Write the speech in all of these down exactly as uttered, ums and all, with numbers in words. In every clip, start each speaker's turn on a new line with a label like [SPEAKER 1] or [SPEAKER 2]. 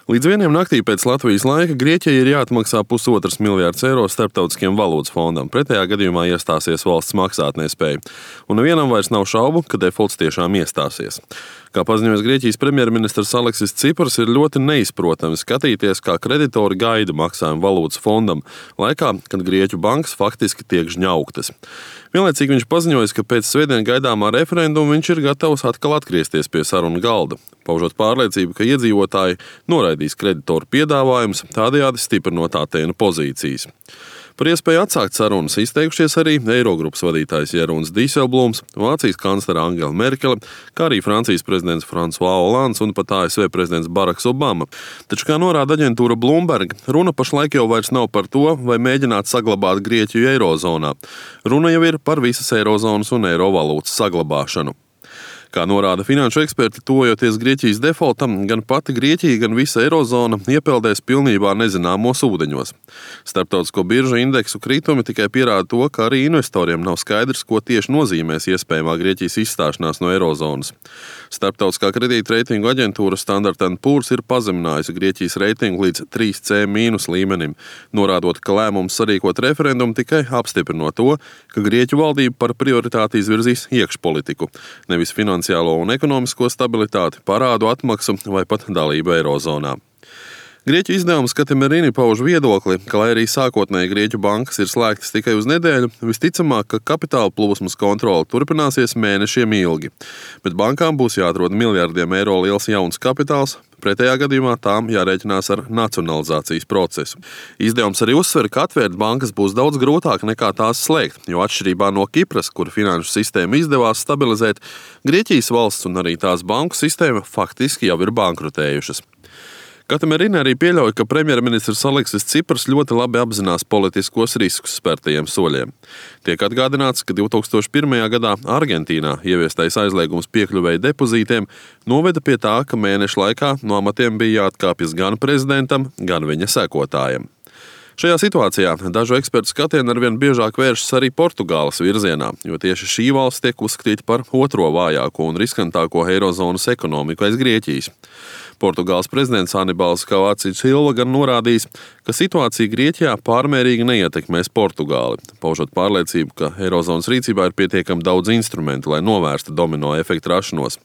[SPEAKER 1] Līdz vieniem naktī pēc Latvijas laika Grieķijai ir jāatmaksā pusotrs miljārds eiro Starptautiskiem valūtas fondam. Pretējā gadījumā iestāsies valsts maksātnespēja. Un nevienam vairs nav šaubu, ka defolts tiešām iestāsies. Kā paziņojas Grieķijas premjerministrs Aleksis Cipras, ir ļoti neizprotami skatīties, kā kreditori gaida maksājumu valūtas fondam, laikā, kad Grieķu bankas faktiski tiek žņauktas. Vienlaicīgi viņš paziņoja, ka pēc svētdien gaidāmā referenduma viņš ir gatavs atkal atgriezties pie sarunu galda, paužot pārliecību, ka iedzīvotāji noraidīs kreditoru piedāvājumus, tādējādi stiprinot Atēnu pozīcijas. Par iespēju atsākt sarunas izteikušies arī Eirogrupas vadītājs Jeroens Dijsselblūms, Vācijas kanclere Angela Merkele, kā arī Francijas prezidents François Hollands un pat A S V prezidents Baraks Obama. Taču, kā norāda aģentūra Bloomberg, runa pašlaik jau vairs nav par to, vai mēģināt saglabāt Grieķiju eirozonā. Runa jau ir par visas eirozonas un eiro valūtas saglabāšanu. Kā norāda finanšu eksperti, tuvojoties Grieķijas defoltam, gan pati Grieķija, gan visa eirozona iepeldēs pilnībā nezināmos ūdeņos. Starptautisko biržu indeksu kritumi tikai pierāda to, ka arī investoriem nav skaidrs, ko tieši nozīmēs iespējamā Grieķijas izstāšanās no eirozonas. Starptautiskā kredīta reitingu aģentūra Standard and Poor's ir pazeminājusi Grieķijas reitingu līdz trīs C mīnus līmenim, norādot, ka lēmums sarīkot referendumu tikai apstiprino to, ka Grieķu valdība par prioritāti izvirzīs iekšpolitiku, nevis finansiālu un ekonomisko stabilitāti, parādu atmaksu vai pat dalību eirozonā. Grieķu izdevums Katemerini pauž viedokli, ka, lai arī sākotnēji Grieķu bankas ir slēgtas tikai uz nedēļu, visticamāk, ka kapitāla plūsmas kontrole turpināsies mēnešiem ilgi, bet bankām būs jāatrod miljardiem eiro liels jauns kapitāls, pretējā gadījumā tām jārēķinās ar nacionalizācijas procesu. Izdevums arī uzsver, ka atvērt bankas būs daudz grūtāk nekā tās slēgt, jo atšķirībā no Kipras, kur finanšu sistēmu izdevās stabilizēt, Grieķijas valsts un arī tās banku sistēma faktiski jau ir bankrotējušas. Katemerini arī pieļauj, ka premjerministrs Aleksis Cipras ļoti labi apzinās politiskos riskus spērtajiem soļiem. Tiek atgādināts, ka divi tūkstoši pirmajā gadā Argentīnā ieviestais aizliegums piekļuvēja depozītiem noveda pie tā, ka mēnešu laikā no amatiem bija jāatkāpjas gan prezidentam, gan viņa sekotājiem. Šajā situācijā dažu ekspertu skatieni arvien biežāk vēršas arī Portugāles virzienā, jo tieši šī valsts tiek uzskatīta par otro vājāko un riskantāko eirozonas ekonomiku aiz Grieķijas. Portugāles prezidents Anibals Cavaco Silva gan norādījis, ka situācija Grieķijā pārmērīgi neietekmēs Portugāli, paužot pārliecību, ka eirozonas rīcībā ir pietiekami daudz instrumentu, lai novērstu domino efektu rašanos.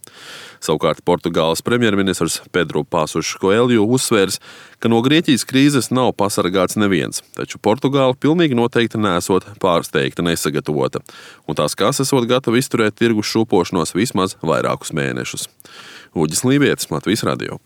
[SPEAKER 1] Savukārt Portugāles premjerministrs Pedro Passos Coelho uzsvērs, ka no Grieķijas krīzes nav pasargāts neviens, taču Portugāla pilnīgi noteikti nesot pārsteigta nesagatavota, un tās kas esot gatavi izturēt tirgus šūpošanos vismaz vairākus mēnešus. Uģis Lībietis, Latvijas radio.